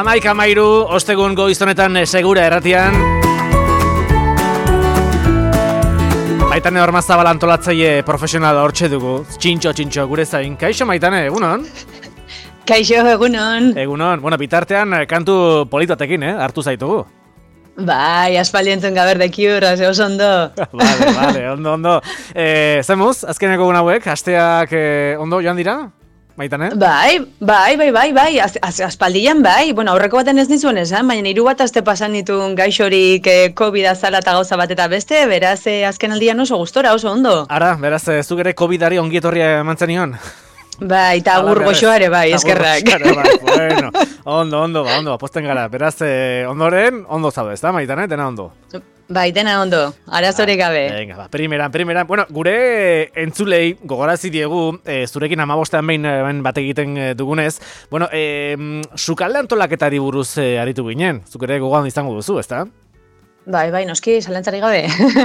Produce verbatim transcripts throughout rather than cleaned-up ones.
Amaik amairu, ostegun goiztonetan segura erratian. Maitane Ormazabal antolatzaile profesional hortxe dugu. Txintxo, txintxo, gure zain. Kaixo, Maitane, egunon? Kaixo, egunon. Egunon. Bueno, bitartean kantu politotekin, eh? Hartu zaitugu. Bai, aspaldientzen gaberdekiur, ze oso ondo. Vale, vale, ondo, ondo. Eh, zemuz, azkeneko egun hauek, asteak eh, ondo joan dira? Maitane? Bai, bai, bai, bai, bai, az, az, aspaldian bai. Bueno, aurreko baten ez nizuen esan, baina hiru bat aste pasan ditun gaixorik eh, COVID azala eta gauza bat eta beste, beraz eh, azken aldian oso gustora, oso ondo. Ara, beraz, eh, zuk ere COVIDari ongietorria eman zenion? Bai, eta agur goxoare bai, eskerrak. Bai, bueno, ondo, ondo, ba, ondo, aposten gara. Beraz, eh, ondoren, ondo zaude, ez da, Maitane, dena ondo? Bai, dena ondo, arazorik gabe. Venga, ba, primeran, primeran. Bueno, gure entzulei gogorazi diegu, e, zurekin amabostean behin, behin bat egiten dugunez, bueno, e, sukalde antolaketari buruz e, aritu ginen, zuk ere gogoan izango duzu, ez da? Bai, bai, noski, zalantzari gabe.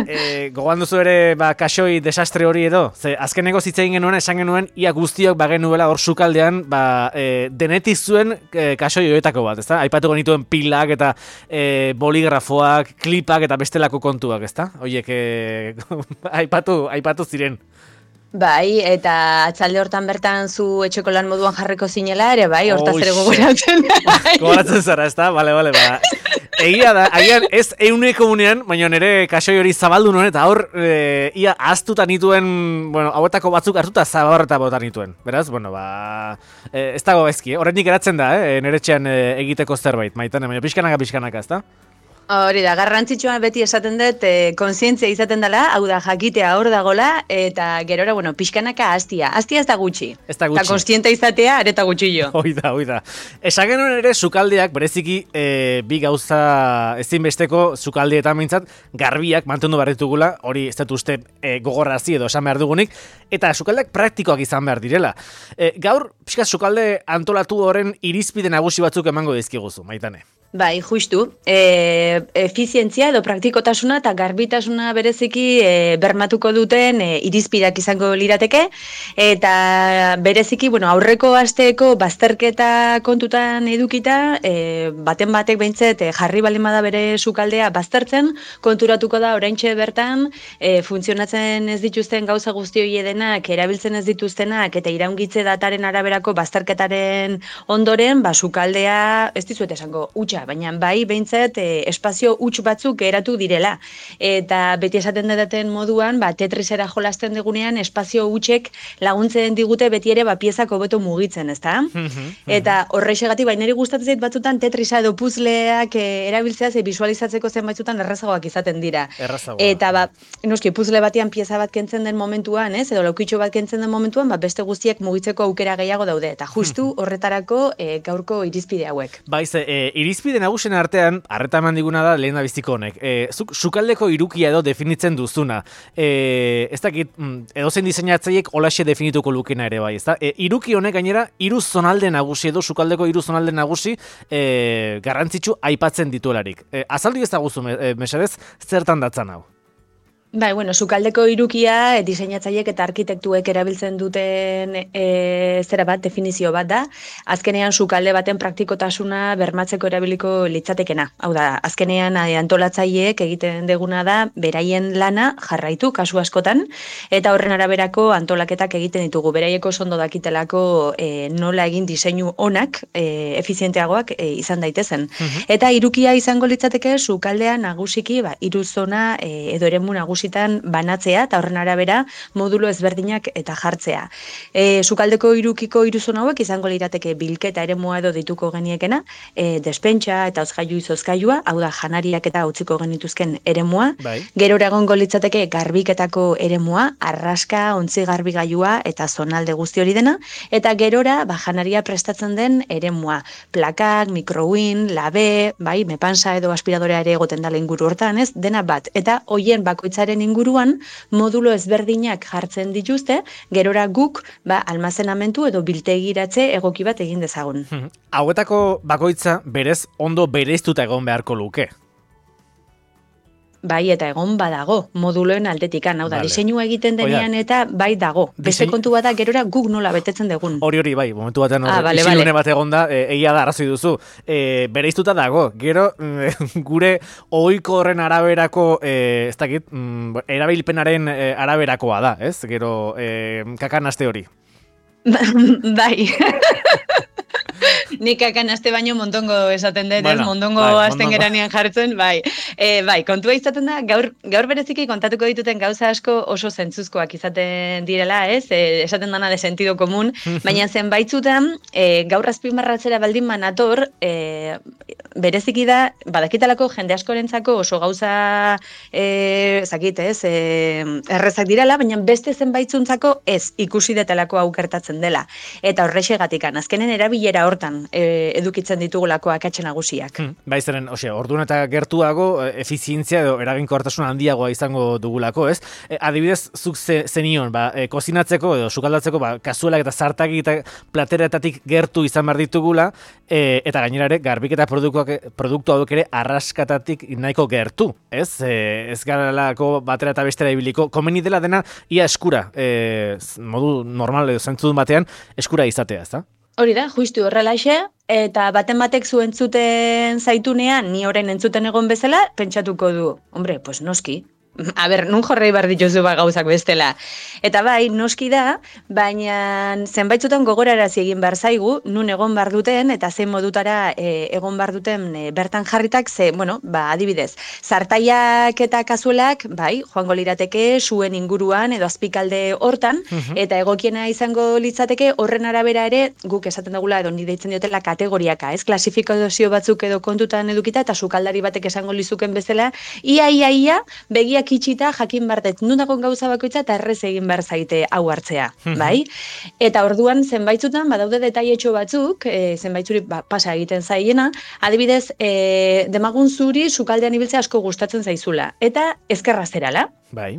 e, gogoan duzu ere, ba, kasoi desastre hori edo, ze azkeneko zitzein genuen, esan genuen, ia guztiok bagenuela hor sukaldean, ba, e, denetiz zuen e, kasoi horietako bat, ez da? Aipatu genituen pilak eta e, boligrafoak, klipak eta bestelako kontuak, ez da? Oiek, e, aipatu, aipatu ziren. Bai, eta atzalde hortan bertan zu etxeko lan moduan jarriko zinela ere, bai, hortaz ere gogoratzen. Gogoratzen zara, ez da? Bale, bale, ba. Egia da, agian ez euneko unean, baina nire kasoi hori zabaldu nuen, eta hor, e, ia aztuta nituen, bueno, hauetako batzuk hartuta zabarreta botan nituen. Beraz, bueno, ba, e, ez dago ezki, eh? Horrenik eratzen da, eh? Nire txean e, egiteko zerbait, Maitane, baina pixkanaka, pixkanaka, ez da? Hori da, garrantzitsua beti esaten dut, e, kontzientzia izaten dela, hau da, jakitea hor dagola, eta gerora, bueno, pixkanaka hastia. Hastia ez da gutxi. Ez da gutxi. Eta kontzientea izatea, areta gutxillo. Hoi da, hoi da. Esan genuen ere, sukaldeak, bereziki, e, bi gauza ezinbesteko sukaldietan mintzat, garbiak mantendu behar ditugula, hori ez dut uste e, gogorrazi edo esan behar dugunik, eta sukaldeak praktikoak izan behar direla. E, gaur, pixka sukalde antolatu horren irizpide nagusi batzuk emango dizkiguzu, Maitane. Bai, justu. E, efizientzia edo praktikotasuna eta garbitasuna bereziki e, bermatuko duten e, irizpideak izango lirateke, eta bereziki, bueno, aurreko asteeko bazterketa kontutan edukita, e, baten batek behintzet e, jarri baldin bada bere sukaldea baztertzen, konturatuko da oraintxe bertan e, funtzionatzen ez dituzten gauza guzti hori denak, erabiltzen ez dituztenak eta iraungitze dataren araberako bazterketaren ondoren, ba, sukaldea, ez dizuet esango, utxa, baina bai, behintzat, e, espazio huts batzuk eratu direla. Eta beti esaten daten moduan, ba, tetrisera jolasten digunean, espazio hutsek laguntzen digute beti ere ba, piezak hobeto mugitzen, ezta? Eta horrexegatik, bai, niri gustatzen zait batzutan tetrisa edo puzleak e, erabiltzea, ze visualizatzeko zenbaitzutan errazagoak izaten dira. Errazagoak. Eta ba, noski, puzle batean pieza bat kentzen den momentuan, ez? Edo laukitxo bat kentzen den momentuan, ba, beste guztiak mugitzeko aukera gehiago daude. Eta justu horretarako e, gaurko irizpide hauek. Baiz, e, irizpide nagusien artean, harreta eman diguna da lehen da biziko honek. E, zuk sukaldeko irukia edo definitzen duzuna. E, ez dakit, edozein diseinatzaileek holaxe definituko lukena ere bai, ezta? E, iruki honek gainera, hiru zonalde nagusi edo sukaldeko hiru zonalde nagusi e, garrantzitsu aipatzen dituelarik. E, azaldu ez da guzu, e, mesedez, zertan datzan hau? Bai, bueno, sukaldeko irukia e, diseinatzaileek eta arkitektuek erabiltzen duten e, zera bat, definizio bat da. Azkenean sukalde baten praktikotasuna bermatzeko erabiliko litzatekena. Hau da, azkenean antolatzaileek egiten deguna da beraien lana jarraitu kasu askotan, eta horren araberako antolaketak egiten ditugu. Beraieko ondo dakitelako e, nola egin diseinu onak, e, efizienteagoak e, izan daitezen. Uh-huh. Eta irukia izango litzateke sukaldea nagusiki, ba, hiru zona e, edo eremu nagusi banatzea eta horren arabera modulo ezberdinak eta jartzea. E, sukaldeko irukiko iruzon hauek izango lirateke bilketa eremua edo dituko geniekena, e, despentsa eta hozgailu izozgailua, hau da janariak eta utziko genituzken eremua. Bai. Gerora egongo litzateke garbiketako eremua, arraska, ontzi garbigailua eta zonalde guzti hori dena, eta gerora ba, janaria prestatzen den eremua, plakak, mikrowin, labe, bai, mepansa edo aspiradorea ere egoten dala inguru hortan, ez, dena bat, eta hoien bakoitzaren inguruan modulo ezberdinak jartzen dituzte, gerora guk ba, almazenamentu edo biltegiratze egoki bat egin dezagun. Hauetako bakoitza berez ondo bereiztuta egon beharko luke. bai, eta egon badago, moduloen aldetikan, hau da, Vale. diseinua egiten denean Oida, eta bai dago. Beste disein- kontu bada gerora guk nola betetzen dugun. Hori hori bai, momentu batean Ah, hor, bale, isilune bale. bat egonda, e, egia da arrazoi duzu. E, bereiztuta dago, gero mm, gure ohiko horren araberako, e, ez dakit, mm, erabilpenaren e, araberakoa da, ez? Gero e, kakanaste hori. Bai. Nik akan aste baino montongo esaten dut, Bueno, ez? Mondongo bai, azten mondongo. geranean jartzen, bai. E, bai, kontua izaten da, gaur, gaur bereziki kontatuko dituten gauza asko oso zentzuzkoak izaten direla, ez? E, esaten dana de sentido komun, baina zenbaitzutan, e, gaur azpimarratzera baldin manator, e, bereziki da, badakitalako jende askorentzako oso gauza, e, zakit, ez? E, errezak direla, baina beste zenbaitzuntzako ez ikusi detelako aukertatzen dela. Eta horrexegatikan, azkenen erabilera hortan e, edukitzen ditugulako akatxe nagusiak. Hmm, bai, zeren, ose, orduan eta gertuago e, efizientzia edo eraginkortasun handiagoa izango dugulako, ez? E, adibidez, zuk ze, zenion, ba, e, kozinatzeko edo sukaldatzeko, ba, kazuelak eta zartaki eta plateretatik gertu izan behar ditugula, e, eta gainera ere, garbiketa produktuak, produktu hauek ere arraskatatik nahiko gertu, ez? E, ez garalako batera eta bestera ibiliko, komeni dela dena ia eskura, e, modu normal edo zentzudun batean, eskura izatea, ez da? Hori da, justu horrelaxe, eta baten batek zu entzuten zaitunean, ni orain entzuten egon bezala, pentsatuko du, hombre, pues noski. A ber, nun jorrei behar dituzu ba gauzak bestela. Eta bai, noski da, baina zenbaitzutan gogorarazi egin behar zaigu, nun egon behar duten, eta zein modutara e, egon behar duten e, bertan jarritak, ze, bueno, ba, adibidez, zartaiak eta kazuelak, bai, joango lirateke zuen inguruan edo azpikalde hortan, eta egokiena izango litzateke horren arabera ere, guk esaten dugula edo ni deitzen diotela kategoriaka, ez? Klasifikazio batzuk edo kontutan edukita, eta sukaldari batek esango lizuken bezala, ia, ia, ia, begiak itxita jakin bartet nun dagoen gauza bakoitza eta errez egin behar zaite hau hartzea, bai? Eta orduan zenbaitzutan badaude detailetxo batzuk, e, zenbaitzuri ba, pasa egiten zaiena, adibidez, e, demagun zuri sukaldean ibiltzea asko gustatzen zaizula, eta ezkerra zerala. Bai.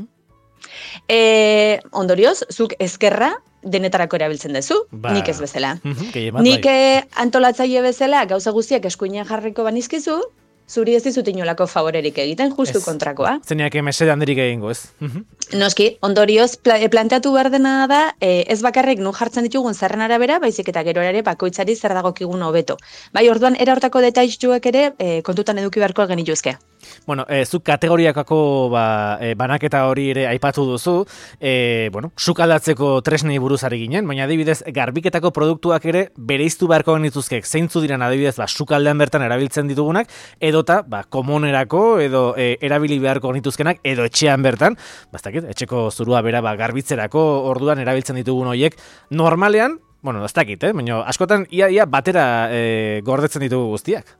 E, ondorioz, zuk ezkerra denetarako erabiltzen duzu, Ba, nik ez bezala. mhm, gehien bat, Nik bai. eh, antolatzaile bezala gauza guztiak eskuinean jarriko banizkizu, zuri ez dizut inolako favorerik egiten, justu Ez. kontrakoa. Zeniak mesede handirik egingo, ez? Mhm. Noski, ondorioz pla, planteatu behar dena da, e, ez bakarrik nun jartzen ditugun zerren arabera, baizik eta gero ere bakoitzari zer dagokigun hobeto. Bai, orduan era hortako detailtxuek ere e, kontutan eduki beharko genituzke. Bueno, e, zuk kategoriakako ba, e, banaketa hori ere aipatu duzu, e, bueno, sukaldatzeko tresnei buruz ari ginen, baina adibidez garbiketako produktuak ere bereiztu beharko genituzkek zeintzu diren adibidez ba, sukaldean bertan erabiltzen ditugunak, edota ba, komunerako edo e, erabili beharko genituzkenak, edo etxean bertan, bastakit, etxeko zurua bera ba, garbitzerako orduan erabiltzen ditugun horiek, normalean, bueno, ez dakit, eh? Baina askotan ia, ia batera e, gordetzen ditugu guztiak.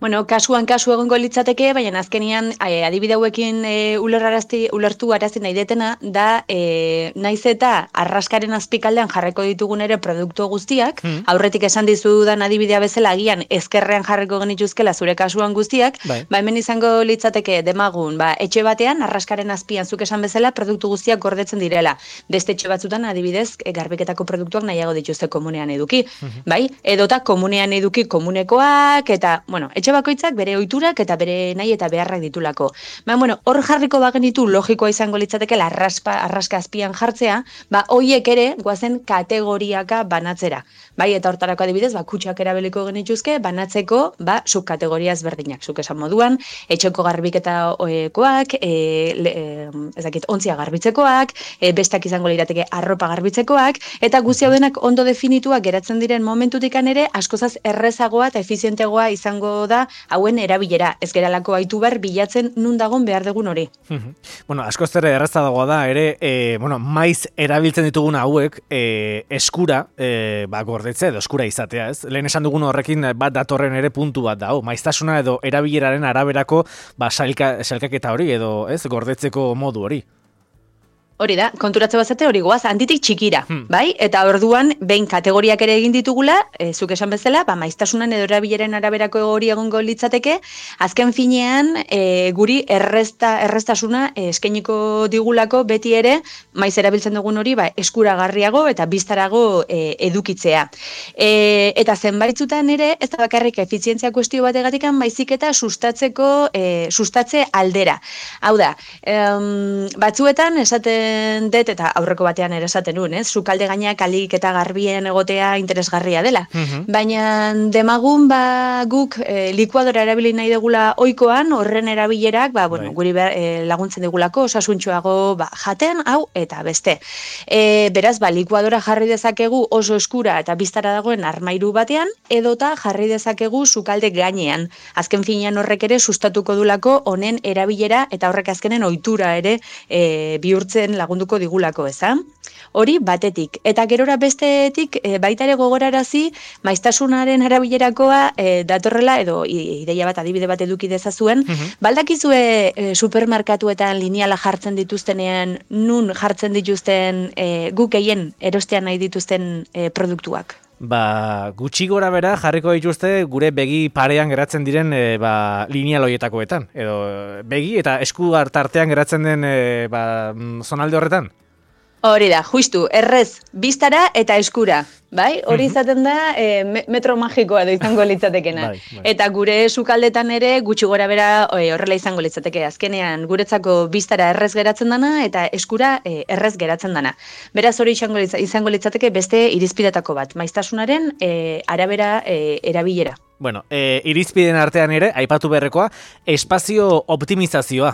Bueno, kasuan kasu egongo litzateke, baina azkenian e, adibide hauekin e, ulerrarazti, ulertu arazi nahi detena, da e, naiz eta arraskaren azpikaldean jarreko ditugun ere produktu guztiak, Mm. aurretik esan dizudan adibidea bezala agian ezkerrean jarriko genituzkela zure kasuan guztiak, Bai. ba hemen izango litzateke demagun, ba etxe batean arraskaren azpian zuk esan bezala produktu guztiak gordetzen direla. Beste etxe batzutan adibidez e, garbiketako produktuak nahiago dituzte komunean eduki, bai? Edota komunean eduki komunekoak eta, bueno, etxe bakoitzak bere ohiturak eta bere nahi eta beharrak ditulako. Ba, bueno, hor jarriko bagenitu logikoa izango litzateke arraspa, arraska azpian jartzea, ba hoiek ere goazen kategoriaka banatzera. Bai, eta hortarako adibidez, ba kutxak erabiliko genituzke banatzeko, ba subkategoria ezberdinak. Zuk esan moduan, etxeko garbiketakoak, e, le, e, ez dakit, ontzia garbitzekoak, e, bestak izango lirateke arropa garbitzekoak, eta guzti hau denak ondo definituak geratzen diren momentutikan ere askozaz errezagoa eta efizientegoa izango da hauen erabilera. Ez geralako baitu behar bilatzen nun dagon behar dugun hori. Bueno, askoz ere errazagoa da ere, e, bueno, maiz erabiltzen ditugun hauek e, eskura, e, ba, gordetze edo eskura izatea, ez? Lehen esan dugun horrekin bat datorren ere puntu bat da, hau, maiztasuna edo erabileraren araberako ba, sailka, sailkaketa hori edo, ez, gordetzeko modu hori. Hori da, konturatze bazate hori goaz, handitik txikira, Hmm. bai? Eta orduan, behin kategoriak ere egin ditugula, e, zuk esan bezala, ba, maiztasunan edo erabileren araberako hori egongo litzateke, azken finean, e, guri errezta, erreztasuna e, eskainiko digulako beti ere, maiz erabiltzen dugun hori, ba, eskuragarriago eta biztarago e, edukitzea. E, eta zenbaitzutan ere, ez da bakarrik efizientzia kuestio bategatikan, baizik eta sustatzeko, e, sustatze aldera. Hau da, em, batzuetan esaten dut, eta aurreko batean ere esaten nuen, ez? Sukalde gainak alik eta garbien egotea interesgarria dela. Mhm. Baina demagun ba guk e, likuadora erabili nahi degula ohikoan, horren erabilerak, ba, bueno, Bai. guri behar, e, laguntzen degulako, osasuntxoago ba, jaten, hau, eta beste. E, beraz, ba, likuadora jarri dezakegu oso eskura eta biztara dagoen armairu batean, edota jarri dezakegu sukalde gainean. Azken finean horrek ere sustatuko dulako honen erabilera eta horrek azkenen ohitura ere e, bihurtzen lagunduko digulako, eza? Hori batetik. Eta gerora bestetik e, baita ere gogorarazi maiztasunaren erabilerakoa e, datorrela edo i- ideia bat adibide bat eduki dezazuen, Mhm. baldakizue e, supermerkatuetan lineala jartzen dituztenean nun jartzen dituzten e, guk gehien erostean nahi dituzten e, produktuak. Ba, gutxi gora bera jarriko dituzte gure begi parean geratzen diren e, ba, lineal hoietakoetan. Edo begi eta esku tartean geratzen den e, ba, mm, zonalde horretan. Hori da, justu, errez, biztara eta eskura, bai? Hori izaten da e, me- metro magikoa edo izango litzatekena. Bai, bai. Eta gure sukaldetan ere gutxi gora bera e, horrela izango litzateke. Azkenean guretzako biztara errez geratzen dana eta eskura e, errez geratzen dana. Beraz hori izango, litza, izango litzateke beste irizpidetako bat, maiztasunaren e, arabera e, erabilera. Bueno, e, irizpideen artean ere, aipatu beharrekoa, espazio optimizazioa.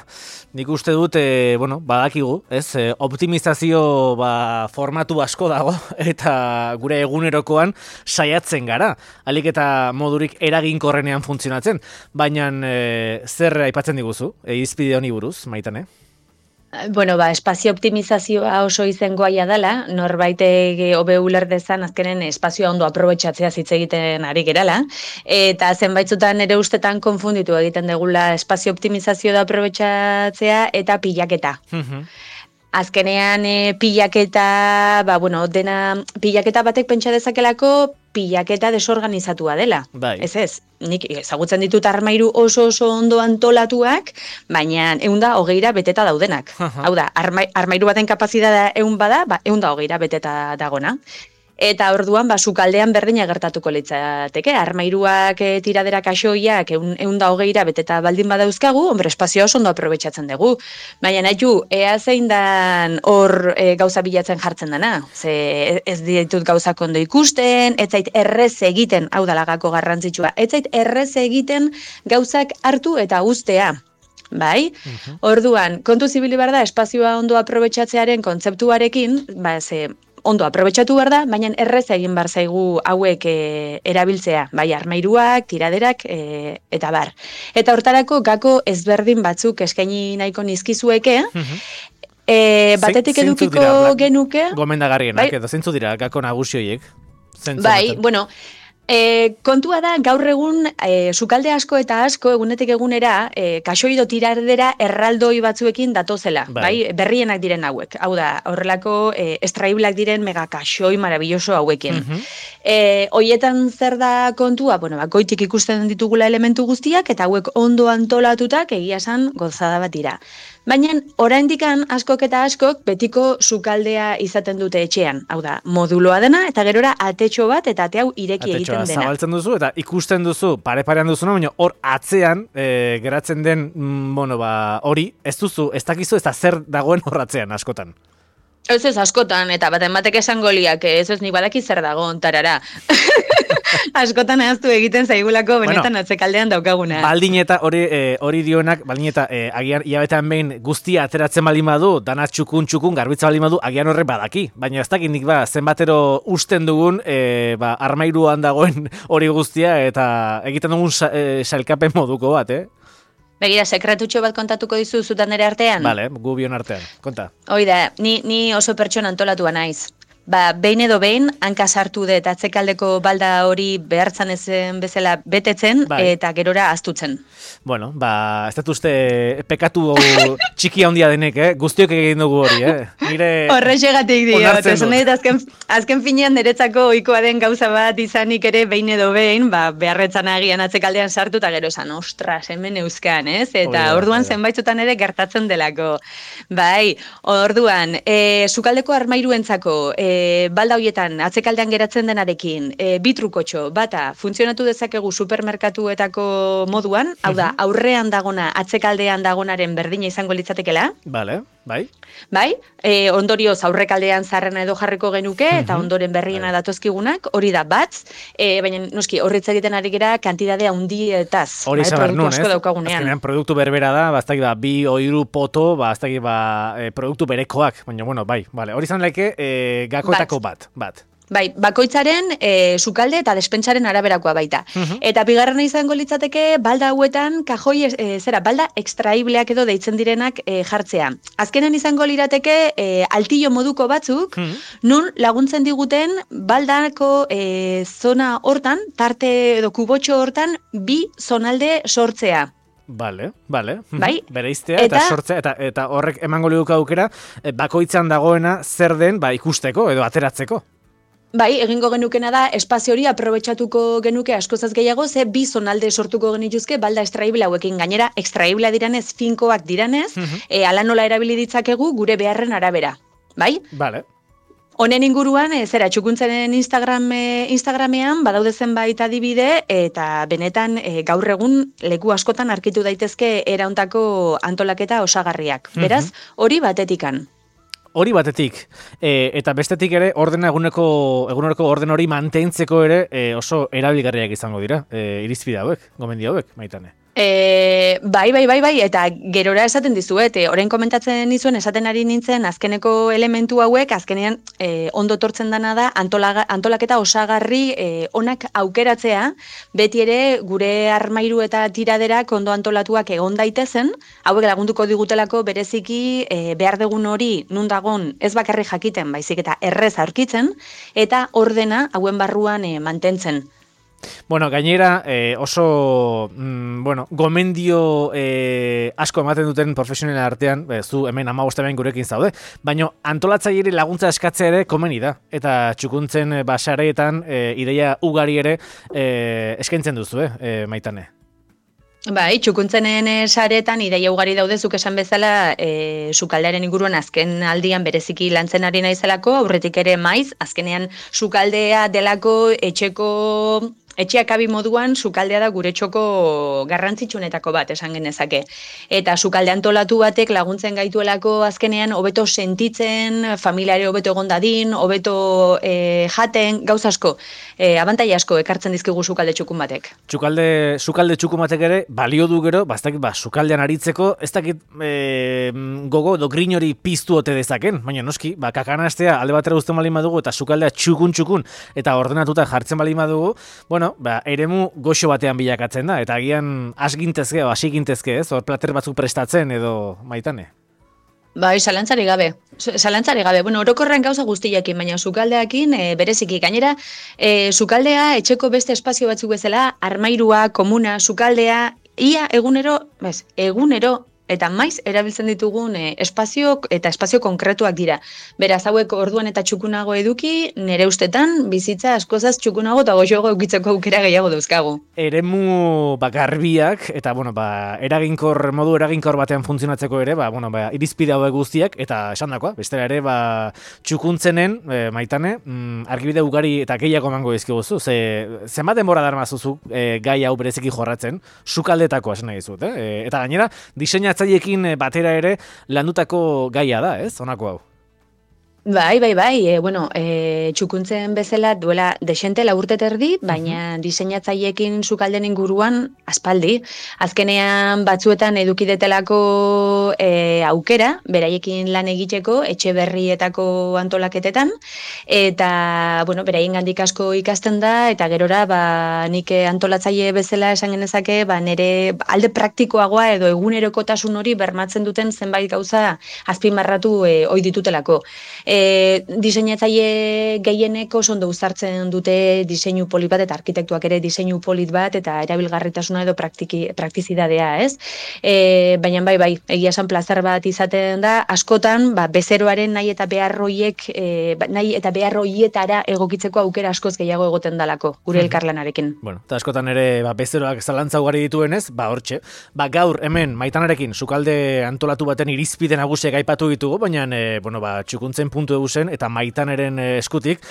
Nik uste dut, e, bueno, badakigu, ez? E, optimizazio ba, formatu asko dago, eta gure egunerokoan saiatzen gara. Alik eta modurik eraginkorrenean funtzionatzen. Baina e, zer aipatzen diguzu, e, irizpide honi buruz, Maitane? Bueno, ba, espazio optimizazioa oso izengoaia dela, norbaitek hobe uler dezan azkenen espazioa ondo aprobetxatzea hitz egiten ari gerala, eta zenbaitzutan ere ustetan konfunditu egiten degula espazio optimizazio da aprobetxatzea eta pilaketa. Azkenean e, pilaketa, ba, bueno, dena pilaketa batek pentsa dezakelako pilaketa desorganizatua dela. Bai. Ez ez, nik ezagutzen ditut armairu oso oso ondo antolatuak, baina ehunda hogeira beteta daudenak. Hau da, arma, armairu baten kapazitatea ehun bada, ba, ehunda hogeira beteta dagona. Eta orduan, ba, sukaldean berdina gertatuko litzateke. Armairuak e, tiradera kaxoiak ehun da hogeira beteta baldin badauzkagu, hombre, espazioa oso ondo aprobetxatzen dugu. Baina nahitu, ea zein dan hor e, gauza bilatzen jartzen dana. Ze ez ditut gauzak ondo ikusten, ez zait errez egiten, hau da lagako garrantzitsua, ez zait errez egiten gauzak hartu eta uztea. Bai? Orduan, kontu zibili behar da, espazioa ondo aprobetxatzearen kontzeptuarekin, ba, ze, ondo aprobetxatu behar da, baina errez egin behar zaigu hauek e, erabiltzea, bai armairuak, tiraderak e, eta bar. Eta hortarako gako ezberdin batzuk eskaini nahiko nizkizueke, e, batetik Zein- zeintzu edukiko dira, Bla- genuke, Gomendagarrienak, Bai. edo zeintzu dira gako nagusi horiek? Zentzu bai, honetan? bueno, E, kontua da, gaur egun, e, sukalde asko eta asko, egunetik egunera, e, kaxoido tiradera erraldoi batzuekin datozela, Bai. bai. Berrienak diren hauek. Hau da, horrelako e, estraiblak diren mega kaxoi marabilloso hauekin. Mhm. E, hoietan zer da kontua? Bueno, ba, goitik ikusten ditugula elementu guztiak, eta hauek ondo antolatutak egia esan gozada bat dira. Baina, oraindikan askok eta askok betiko sukaldea izaten dute etxean. Hau da, moduloa dena, eta gerora atetxo bat, eta ate hau ireki Atetxoa egiten dena. zabaltzen duzu eta ikusten duzu pare-parean duzuna, baina hor atzean e, geratzen den, mm, bueno, ba, hori, ez duzu, ez dakizu, ez da zer dagoen hor atzean askotan. Ez ez askotan, eta baten batek esango liak, ez ez nik badaki zer dago, tarara. Askotan ahaztu egiten zaigulako benetan Bueno, atzekaldean daukaguna. Baldin eta hori e, hori dionak, baldin eta e, agian hilabetean behin guztia ateratzen baldin badu, dana txukun txukun garbitza baldin badu, agian horrek badaki. Baina ez dakit nik ba, zenbatero usten dugun e, ba, armairuan dagoen hori guztia eta egiten dugun sa, e, sailkapen moduko bat, eh? Begira, sekretutxo bat kontatuko dizu zutan ere artean? Vale, gu bion artean, konta. Hoi da, ni, ni oso pertsona antolatua naiz. ba, behin edo behin, hanka sartu dut atzekaldeko balda hori behartzan ezen bezala betetzen, bai. eta gerora aztutzen. Bueno, ba, ez dut uste pekatu txiki handia denek, eh? Guztiok egin dugu hori, eh? Nire... Horrexegatik dio, onartzen eta dut. azken, azken finean niretzako ohikoa den gauza bat izanik ere behin edo behin, ba, beharretzan agian atzekaldean sartu, eta gero esan, ostras, hemen euskan, ez? Eta Hori da, orduan hori da. zenbaitzutan ere gertatzen delako. Bai, orduan, e, sukaldeko armairuentzako, e, balda hoietan, atzekaldean geratzen denarekin, e, bi trukotxo, bata, funtzionatu dezakegu supermerkatuetako moduan, hau da, aurrean dagona, atzekaldean dagonaren berdina izango litzatekela, Vale, bai. bai, e, ondorioz aurrekaldean zarrena edo jarriko genuke, eta ondoren berriena bai. datozkigunak, hori da batz, e, baina noski, horritz egiten ari gera kantidade handietaz, Hori bai, izan behar produktu nun, asko ez? daukagunean. Azkenean produktu berbera da, bastak ba, bi oiru poto, bastak ba, e, produktu berekoak, baina bueno, bai, vale. Hori izan laike e, gakoetako bat, bat. Bai, bakoitzaren e, sukalde eta despentsaren araberakoa baita. Eta bigarrena izango litzateke balda hauetan kajoi e, zera balda extraibleak edo deitzen direnak e, jartzea. Azkenen izango lirateke e, altillo moduko batzuk, nun laguntzen diguten baldako e, zona hortan, tarte edo kubotxo hortan, bi zonalde sortzea. Vale, vale. Bai. Bereiztea eta, Eta- sortzea eta eta horrek emango liguke aukera e, bakoitzan dagoena zer den, ba ikusteko edo ateratzeko. Bai, egingo genukena da, espazio hori aprobetxatuko genuke askozaz gehiago, ze bi zonalde sortuko genituzke balda extraibile hauekin. Gainera, extraibila diranez, finkoak diranez, e, ala nola erabili ditzakegu gure beharren arabera. Bai? Vale. Honen inguruan, e, zera, txukuntzaren Instagram, e, Instagramean badaude zenbait adibide, eta benetan e, gaur egun leku askotan arkitu daitezke erauntako antolaketa osagarriak. Beraz, hori batetikan. Hori batetik, e, eta bestetik ere ordena eguneko eguneroko orden hori mantentzeko ere e, oso erabilgarriak izango dira, e, irizpide hauek, gomendio hauek, Maitane. E, bai, bai, bai, bai, eta gerora esaten dizuet, e, orain komentatzen nizuen esaten ari nintzen azkeneko elementu hauek, azkenean e, ondo tortzen dana da antolaga, antolaketa osagarri e, onak aukeratzea, beti ere gure armairu eta tiraderak ondo antolatuak egon daitezen, hauek lagunduko digutelako bereziki e, behar dugun hori nun dagon ez bakarri jakiten, baizik eta errez aurkitzen, eta ordena hauen barruan e, mantentzen. Bueno, gainera eh, oso mm, bueno, gomendio eh, asko ematen duten profesionalen artean, eh, zu hemen hamabost hemen gurekin zaude, baina antolatzaileari laguntza eskatzea ere komeni da. Eta txukuntzen eh, basareetan eh, ideia ugari ere eh, eskaintzen duzu, eh, eh, Maitane. Bai, txukuntzenen e, saretan ideia ugari daude zuk esan bezala e, sukaldearen inguruan azken aldian bereziki lantzen ari naizelako, aurretik ere maiz, azkenean sukaldea delako etxeko etxeak abi moduan sukaldea da gure txoko garrantzitsuenetako bat esan genezake. Eta sukalde antolatu batek laguntzen gaituelako azkenean hobeto sentitzen, familiare hobeto egon dadin, hobeto e, jaten, gauz asko, e, abantaila asko ekartzen dizkigu sukalde txukun batek. Txukalde, sukalde txukun batek ere balio du gero, bastak, ba, sukaldean aritzeko, ez dakit e, gogo edo grin hori piztu ote dezaken, baina noski, ba, kakanastea alde batera uzten balin badugu eta sukaldea txukun-txukun eta ordenatuta jartzen balin badugu, bueno, ba, eremu goxo batean bilakatzen da, eta agian asgintezke, o asigintezke, ez, hor plater batzuk prestatzen edo, Maitane. Bai, zalantzari gabe. Zalantzari gabe. Bueno, orokorren gauza guztiakin, baina sukaldeakin e, bereziki. Gainera, e, sukaldea etxeko beste espazio batzuk bezala, armairua, komuna, sukaldea, ia egunero, bez, egunero, eta maiz erabiltzen ditugun e, espazio eta espazio konkretuak dira. Beraz, hauek orduan eta txukunago eduki, nire ustetan bizitza askozaz txukunago eta goxoago eukitzeko aukera gehiago dauzkagu. Eremu ba, garbiak eta bueno, ba, eraginkor modu eraginkor batean funtzionatzeko ere, ba, bueno, ba, irizpide hauek guztiak eta esandakoa, bestela ere ba, txukuntzenen e, Maitane, mm, argibide ugari eta gehiago emango dizkiguzu. Ze zenbat denbora darmazuzu e, gai hau bereziki jorratzen, sukaldetako esan nahi dizut, eh? Eta gainera diseinatzaileekin batera ere landutako gaia da, ez? Honako hau. Bai, bai, bai, e, bueno, e, txukuntzen bezala duela desente laurte terdi, baina diseinatzaileekin sukalden inguruan aspaldi. Azkenean batzuetan edukidetelako e, aukera, beraiekin lan egiteko, etxe berrietako antolaketetan, eta, bueno, beraien gandik asko ikasten da, eta gerora, ba, nik antolatzaile bezala esan genezake, ba, nire alde praktikoagoa edo egunerokotasun hori bermatzen duten zenbait gauza azpimarratu e, ohi ditutelako. E, diseinatzaile gehienek oso ondo uzartzen dute diseinu polit bat, eta arkitektuak ere diseinu polit bat, eta erabilgarritasuna edo praktiki, praktizidadea, ez? E, baina bai, bai, egia esan plazer bat izaten da, askotan, ba, bezeroaren nahi eta behar hoiek, e, nahi eta behar hoietara egokitzeko aukera askoz gehiago egoten dalako, gure elkarlanarekin. Bueno, eta askotan ere, ba, bezeroak zalantza ugari dituenez, ba, hortxe. Ba, gaur, hemen, Maitanarekin, sukalde antolatu baten irizpide nagusiak aipatu ditugu, baina, e, bueno, ba, txukuntzen puntu egusen, eta Maitaneren e, eskutik,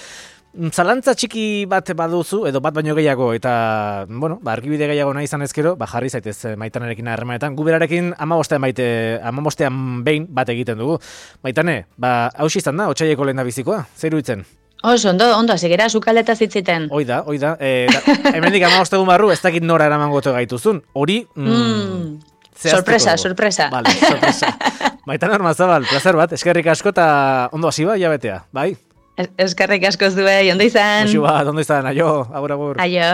zalantza txiki bat baduzu, edo bat baino gehiago, eta, bueno, ba, argibide gehiago nahi izan ezkero, ba, jarri zaitez Maitanarekin harremanetan. Gu berarekin amabostean baite, amabostean behin bat egiten dugu. Maitane, ba, hausi izan da, otsaileko lehen da bizikoa, zer iruditzen? Oso, ondo, ondo, zigera sukaldeta zitziten. Hoi da, hoi da. E, da hemendik amaboste egun barru, ez dakit nora eraman goto gaituzun. Hori, mm, mm, sorpresa, sorpresa. Vale, sorpresa. Maitane Ormazabal, placer bat, eskerrik asko eta ondo hasi ba, jabetea, bai? Eskerrik asko zuen, ondo izan. Oso bat, ondo izan, aio, agur, agur. Aio.